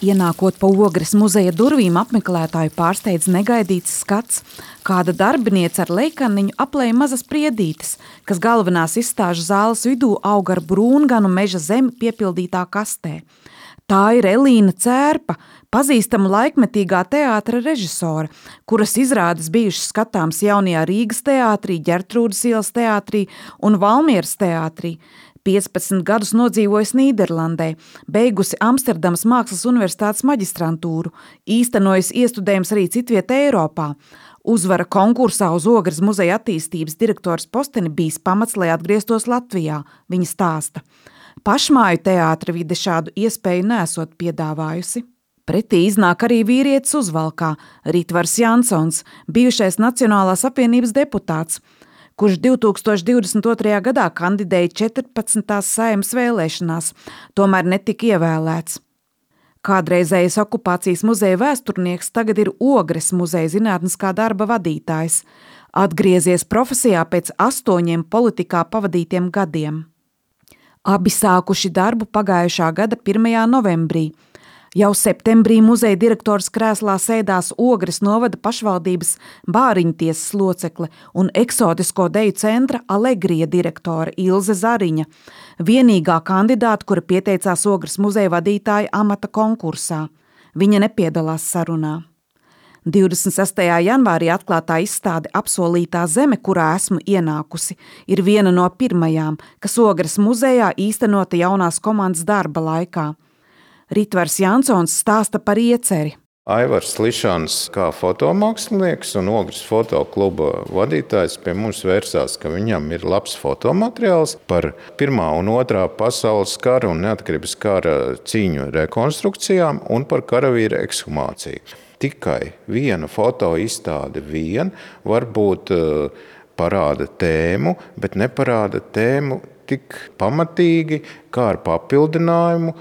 Ienākot pa Ogres muzeja durvīm, apmeklētāju pārsteidz negaidīts skats. Kāda darbiniece ar leikaniņu aplēja mazas priedītes, kas galvenās izstāžu zāles vidū aug ar brūnganu meža zemi piepildītā kastē. Tā ir Elīna Cērpa, pazīstama laikmetīgā teātra režisore, kuras izrādes bijušas skatāms jaunajā Rīgas teātrī, Ģertrūdes ielas teātrī un Valmieras teātrī. 15 gadus nodzīvojusi Nīderlandē, beigusi Amsterdamas Mākslas universitātes maģistrantūru, īstenojusi iestudējums arī citvietē Eiropā. Uzvara konkursā uz Ogres muzeja attīstības direktors posteni bijis pamats, lai atgrieztos Latvijā, viņa stāsta. Pašmāju teātra vide šādu iespēju nesot piedāvājusi. Pretī iznāk arī vīrietis uzvalkā, Ritvars Jansons, bijušais Nacionālās apvienības deputāts, kurš 2022. gadā kandidēja 14. Saeimas vēlēšanās, tomēr netika ievēlēts. Kādreizējais okupācijas muzeja vēsturnieks tagad ir Ogres muzeja zinātniskā darba vadītājs, atgriezies profesijā pēc 8 politikā pavadītiem gadiem. Abi sākuši darbu pagājušā gada 1. novembrī. Jau septembrī muzeja direktors krēslā sēdās Ogres novada pašvaldības bāriņtiesas locekle un eksotisko deju centra Alegrija direktore Ilze Zariņa, vienīgā kandidāta, kura pieteicās Ogres muzeja vadītāja amata konkursā. Viņa nepiedalās sarunā. 26. janvārī atklātā izstāde Apsolītā zeme, kurā esmu ienākusi, ir viena no pirmajām, kas Ogres muzejā īstenota jaunās komandas darba laikā. Ritvars Jansons stāsta par ieceri. Aivars Lišans kā fotomākslinieks un Ogres fotokluba vadītājs pie mums vērsās, ka viņam ir labs fotomateriāls par 1. un 2. pasaules kara un neatkarības kara cīņu rekonstrukcijām un par karavīru ekshumāciju. Tikai viena fotoizstāde varbūt parāda tēmu, bet neparāda tēmu tik pamatīgi kā ar papildinājumu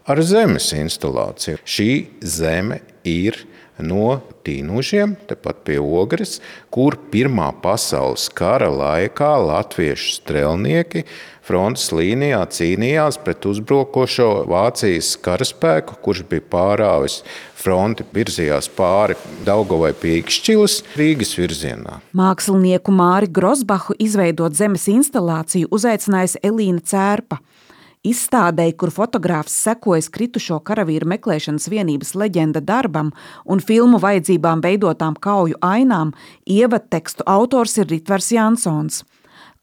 ar zemes instalāciju. Šī zeme ir no Tīnužiem, tepat pie Ogres, kur 1. pasaules kara laikā latviešu strelnieki frontes līnijā cīnījās pret uzbrukošo Vācijas karaspēku, kurš bija pārāvis fronti, virzījās pāri Daugavai pie Ikšķilas Rīgas virzienā. Mākslinieku Māri Grosbahu izveidot zemes instalāciju uzaicinājusi Elīna Cērpa. Izstādei, kur fotogrāfs sekojas kritušo karavīru meklēšanas vienības leģenda darbam un filmu vajadzībām veidotām kauju ainām, ievadtekstu autors ir Ritvars Jansons.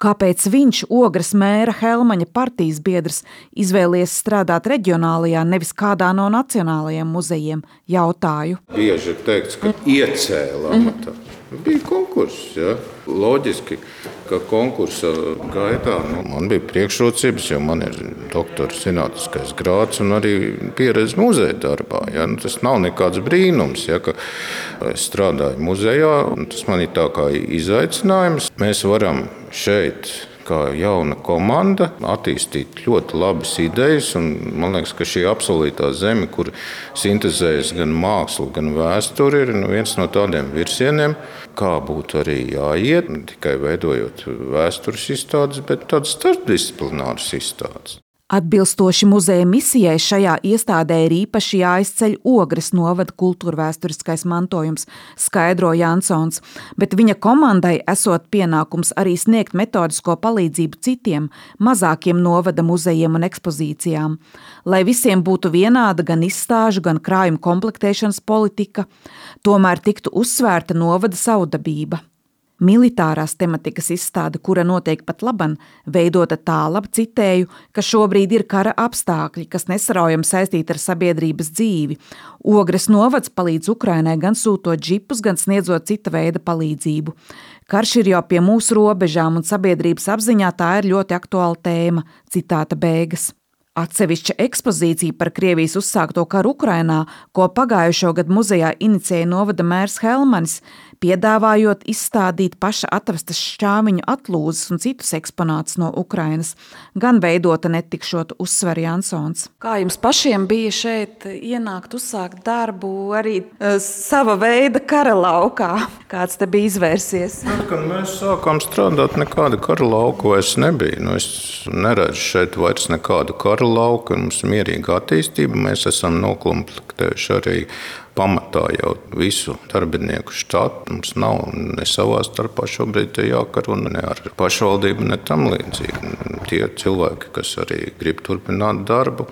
Kāpēc viņš, Ogres mēra Helmaņa partijas biedrs, izvēlies strādāt reģionālajā, nevis kādā no nacionālajiem muzejiem, jautāju. Bieži ir teikts, ka iecēla amatā. Bija konkurss, ja? Loģiski, ka konkursa gaitā man bija priekšrocības, jo man ir doktora zinātniskais grāds un arī pieredze muzeja darbā. Ja? Tas nav nekāds brīnums, ja, ka es strādāju muzejā, un tas man ir tā kā izaicinājums. Mēs varam šeit, kā jauna komanda, attīstīt ļoti labas idejas, un man liekas, ka šī apsolītā zeme, kur sintezējas gan mākslu, gan vēsturi, ir viens no tādiem virsieniem, kā būtu arī jāiet, ne tikai veidojot vēstures izstādes, bet tādas starpdisciplināras izstādes. Atbilstoši muzeja misijai šajā iestādē ir īpaši jāizceļ Ogres novada kultūrvēsturiskais mantojums, skaidro Jansons, bet viņa komandai esot pienākums arī sniegt metodisko palīdzību citiem, mazākiem novada muzejiem un ekspozīcijām, lai visiem būtu vienāda gan izstāžu, gan krājuma komplektēšanas politika, tomēr tiktu uzsvērta novada savdabība. Militārās tematikas izstāde, kura notiek pat laban, veidota tālāk, citēju, ka šobrīd ir kara apstākļi, kas nesaraujami saistīti ar sabiedrības dzīvi. Ogres novads palīdz Ukrainai gan sūtot džipus, gan sniedzot cita veida palīdzību. Karš ir jau pie mūsu robežām un sabiedrības apziņā tā ir ļoti aktuāla tēma, citāta beigas. Atsevišķa ekspozīcija par Krievijas uzsākto karu Ukrainā, ko pagājušo gadu muzejā inicēja novada mērs Helmanis, piedāvājot izstādīt paša atrastas šķāviņu atlūzes un citus eksponātus no Ukrainas, gan veidota netikšot, uzsver Jansons. Kā jums pašiem bija šeit ienākt, uzsākt darbu arī sava veida kara laukā? Kāds te bija izvērsies? Kad mēs sākām strādāt, nekāda kara lauka vairs nebija. Es neredzu šeit vairs nekādu kara lauku, mums ir mierīga attīstība, mēs esam nokomplektējuši arī pamatā jau visu darbinieku štatu. Mums nav ne savā starpā šobrīd jākaro ne ar pašvaldību, ne tam līdzīgi. Tie cilvēki, kas arī grib turpināt darbu,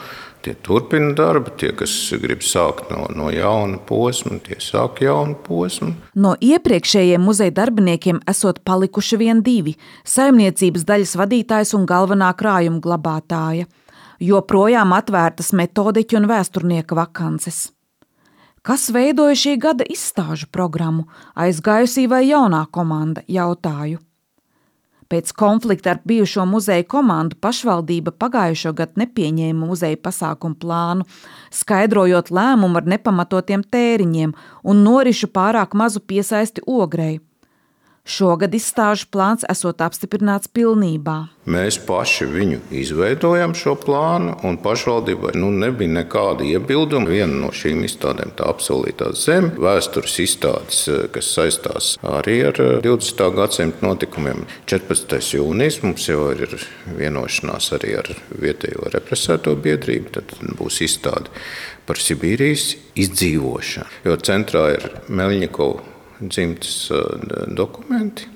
tie turpina darbu. Tie, kas grib sākt no jauna posma, tie sāk jaunu posmu. No iepriekšējiem muzeja darbiniekiem esot palikuši vien 2 – saimniecības daļas vadītājs un galvenā krājuma glabātāja. Joprojām atvērtas metodiķu un vēsturnieka vakances. Kas veidoja šī gada izstāžu programmu, aizgājusī vai jaunā komanda, jautāju. Pēc konflikta ar bijušo muzeja komandu pašvaldība pagājušo gadu nepieņēma muzeja pasākumu plānu, skaidrojot lēmumu ar nepamatotiem tēriņiem un norišu pārāk mazu piesaisti Ogrei. Šogad izstāžu plāns esot apstiprināts pilnībā. Mēs paši viņu izveidojam šo plānu, un pašvaldībai nebija nekāda iebilduma. Viena no šīm izstādēm, tā apsolītā zeme, vēstures izstādes, kas saistās arī ar 20. gadsimta notikumiem. 14. jūnijas mums jau ir vienošanās arī ar vietējo represēto biedrību, tad būs izstāde par Sibīrijas izdzīvošanu, jo centrā ir Meļņikova dzimtes dokumenti.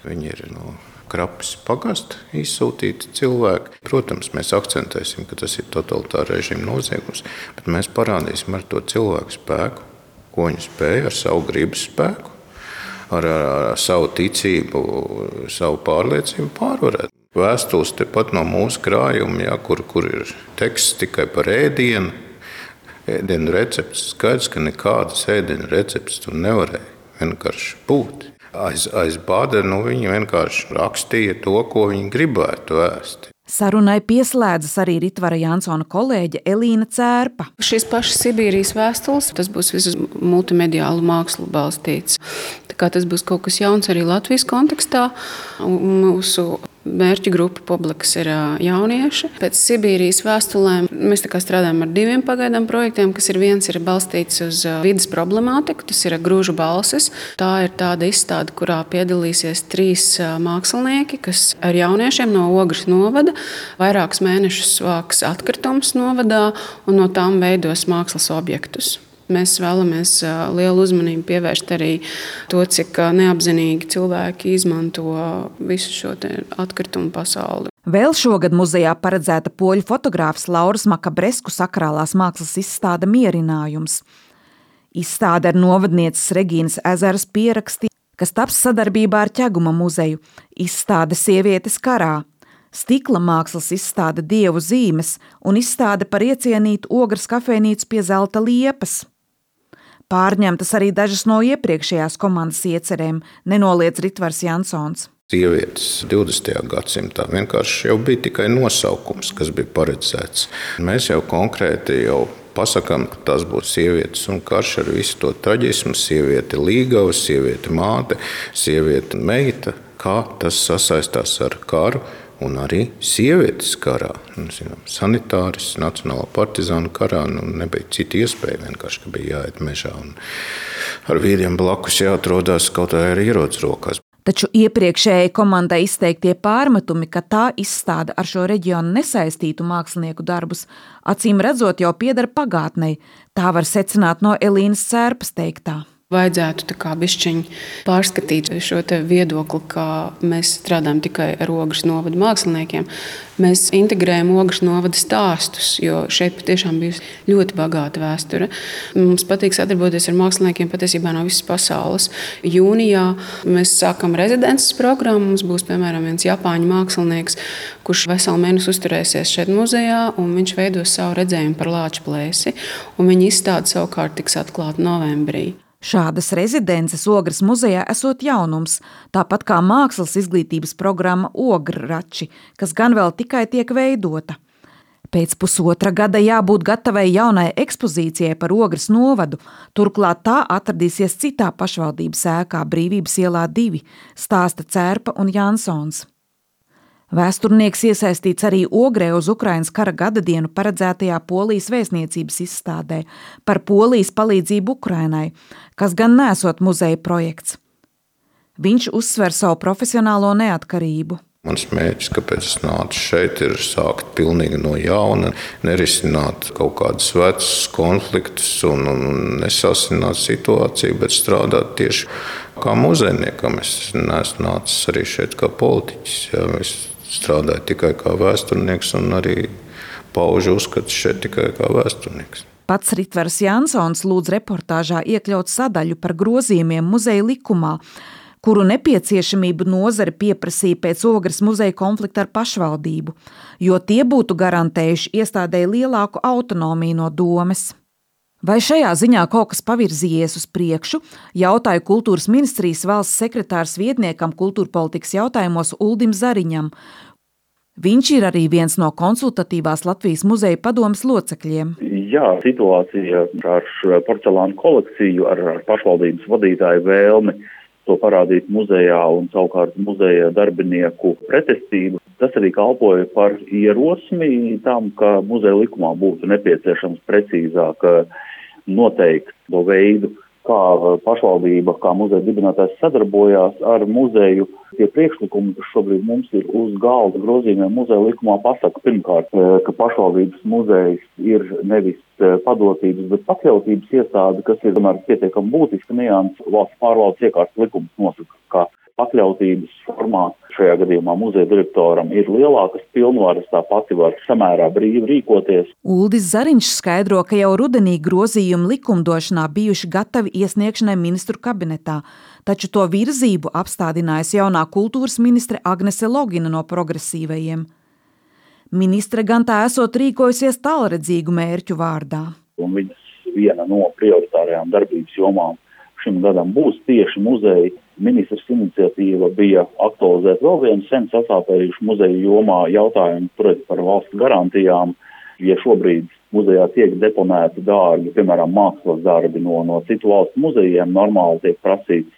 Viņi ir no Krapes pagasta izsūtīti cilvēki. Protams, mēs akcentēsim, ka tas ir totalitāra režīma noziegums, bet mēs parādīsim ar to cilvēku spēku, ko viņi spēja ar savu gribas spēku, ar savu ticību, savu pārliecību pārvarēt. Vēstules tepat no mūsu krājuma, kur ir teksts tikai par ēdienu recepts. Skaidrs, ka nekādas ēdienu recepts tur nevarēja vienkārši būt. Aiz bādera viņi vienkārši rakstīja to, ko viņi gribētu vēst. Sarunai pieslēdzas arī Ritvara Jansona kolēģe Elīna Cērpa. Šīs pašas Sibīrijas vēstules, tas būs visu multimediālu mākslu balstīts. Tā kā tas būs kaut kas jauns arī Latvijas kontekstā. Mūsu mērķa grupa publikas ir jaunieši. Pēc Sibīrijas vēstulēm mēs strādājam ar 2 pagaidām projektiem, kas viens ir balstīts uz vides problemātiku, tas ir Grūžu balsis. Tā ir tāda izstāde, kurā piedalīsies 3 mākslinieki, kas ar jauniešiem no Ogres novada vairākus mēnešus vāks atkritumus novadā un no tām veidos mākslas objektus. Mēs vēlamies lielu uzmanību pievērst arī to, cik neapzinīgi cilvēki izmanto visu šo atkritumu pasauli. Vēl šogad muzejā paredzēta poļu fotogrāfs Lauras Makabresku sakrālās mākslas izstāde Mierinājums. Izstāde ar novadnieces Regīnas Ezeras pieraksti, kas taps sadarbībā ar Ķeguma muzeju. Izstāde Sievietes karā. Stikla mākslas izstāde Dievu zīmes un izstāde par iecienītu Ogres kafejnīcu pie Zelta liepas. Pārņemtas arī dažas no iepriekšējās komandas iecerēm, nenoliedz Ritvars Jansons. Sievietes 20. gadsimtā vienkārši jau bija tikai nosaukums, kas bija paredzēts. Mēs jau konkrēti pasakām, ka tas būs sievietes un karš ar visu to traģismu, sieviete līgava, sieviete māte, sieviete meita, kā tas sasaistās ar karu. Un arī sievietes karā, sanitāris, nacionālā partizāna karā, nebija cita iespēja, vienkārši, ka bija jāiet mežā un ar vīriem blakus jāatrodās kaut vai ar ieroci rokās. Taču iepriekšējai komandai izteiktie pārmetumi, ka tā izstāda ar šo reģionu nesaistītu mākslinieku darbus, acīm redzot jau pieder pagātnei, tā var secināt no Elīnas Cērpas teiktā. Vajadzētu bišķiņ pārskatīt šo viedokli, ka mēs strādājam tikai ar Ogres novada māksliniekiem. Mēs integrējam Ogres novada stāstus, jo šeit patiešām bijusi ļoti bagāta vēsture. Mums patīk sadarboties ar māksliniekiem patiesībā no visas pasaules. Jūnijā mēs sākam rezidences programmu. Mums būs, piemēram, viens japāņu mākslinieks, kurš veselu mēnesi uzturēsies šeit muzejā, un viņš veidos savu redzējumu par Lāča plēsi, un viņa izstāde savukārt tiks atklāta novembrī. Šādas rezidences Ogres muzejā esot jaunums, tāpat kā mākslas izglītības programma Ograči, kas gan vēl tikai tiek veidota. Pēc pusotra gada jābūt gatavai jaunai ekspozīcijai par Ogres novadu, turklāt tā atradīsies citā pašvaldības ēkā Brīvības ielā 2, stāsta Cērpa un Jansons. Vēsturnieks iesaistīts arī Ogrē uz Ukrainas kara gadadienu paredzētajā Polijas vēstniecības izstādē par Polijas palīdzību Ukrainai, kas gan nesot muzeja projekts. Viņš uzsver savu profesionālo neatkarību. Mans mērķis, kāpēc es nācu šeit, ir sākt pilnīgi no jauna, nerisināt kaut kādus vecus konfliktus un nesasināt situāciju, bet strādāt tieši kā muzejniekam. Es neesmu nācis arī šeit kā politiķis. Jā, es strādāju tikai kā vēsturnieks un arī paužu uzskatu šeit tikai kā vēsturnieks. Pats Ritvers Jansons lūdz reportāžā iekļaut sadaļu par grozījumiem muzeja likumā, kuru nepieciešamību nozare pieprasīja pēc Ogres muzeja konflikta ar pašvaldību, jo tie būtu garantējuši iestādēji lielāku autonomiju no domes. Vai šajā ziņā kaut kas pavirzījies uz priekšu, jautāju kultūras ministrijas valsts sekretārs vietniekam kultūrpolitikas jautājumos Uldim Zariņam. Viņš ir arī viens no konsultatīvās Latvijas muzeja padomes locekļiem. Jā, situācija ar porcelāna kolekciju, ar pašvaldības vadītāju vēlmi to parādīt muzejā un savukārt muzeja darbinieku pretestību. Tas arī kalpoja par ierosmi tam, ka muzeja likumā būtu nepieciešams precīzāk noteikt to veidu, kā pašvaldība, kā muzeja dibinātājs sadarbojās ar muzeju. Tie priekšlikumi, kas šobrīd mums ir uz galda grozījumiem muzeja likumā, pasaka pirmkārt, ka pašvaldības muzejs ir nevis padotības, bet pakļautības iestāde, kas ir tomēr pietiekami būtiska nianse. Valsts pārvaldes iekārtas likums nosaka, ka pakļautības formā šajā gadījumā muzeja direktoram ir lielākas pilnvaras, tā pati var samērā brīvi rīkoties. Uldis Zariņš skaidro, ka jau rudenī grozījumi likumdošanā bijuši gatavi iesniegšanai ministru kabinetā, taču to virzību apstādinājusi jaunā kultūras ministre Agnese Logina no progresīvajiem. Ministre gan tā esot rīkojusies tālredzīgu mērķu vārdā. Un viņas viena no prioritārajām darbības jomām šim gadam būs tieši muzeja. Ministrs iniciatīva bija aktualizēt vēl vienu sen sasāpējušu muzeja jomā jautājumu par valsts garantijām. Ja šobrīd muzejā tiek deponēti dārgi, piemēram, mākslas darbi no citu valstu muzejiem, normāli tiek prasīts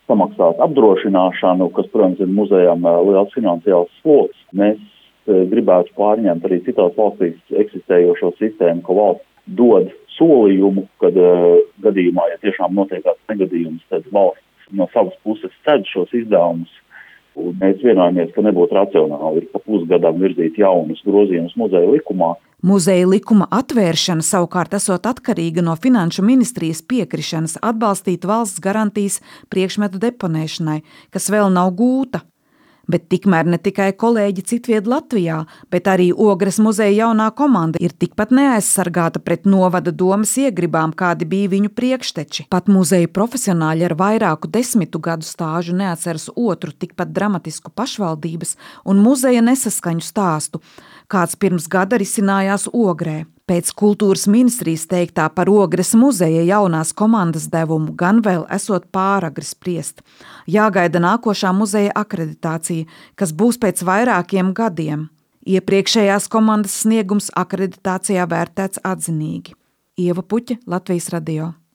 samaksāt apdrošināšanu, kas, protams, ir muzejām liels finansiāls sloks. Mēs gribētu pārņemt arī citās valstīs eksistējošo sistēmu, ka valsts dod solījumu, kad gadījumā, ja tiešām notiek kāds negadījums, tad valsts no savas puses ced šos izdevumus. Un mēs vienojamies, ka nebūtu racionāli pa pusgadam virzīt jaunus grozījumus muzeja likumā. Muzeja likuma atvēršana savukārt esot atkarīga no Finanšu ministrijas piekrišanas atbalstīt valsts garantijas priekšmetu deponēšanai, kas vēl nav gūta. Bet tikmēr ne tikai kolēģi citvied Latvijā, bet arī Ogres muzeja jaunā komanda ir tikpat neaizsargāta pret novada domas iegribām, kādi bija viņu priekšteči. Pat muzeja profesionāļi ar vairāku 10 gadu stāžu neatceras otru tikpat dramatisku pašvaldības un muzeja nesaskaņu stāstu, kāds pirms gada risinājās Ogrē. Pēc kultūras ministrijas teiktā par Ogres muzeja jaunās komandas devumu gan vēl esot pāragri spriest. Jāgaida nākošā muzeja akreditācija, kas būs pēc vairākiem gadiem. Iepriekšējās komandas sniegums akreditācijā vērtēts atzinīgi. Ieva Puķe, Latvijas radio.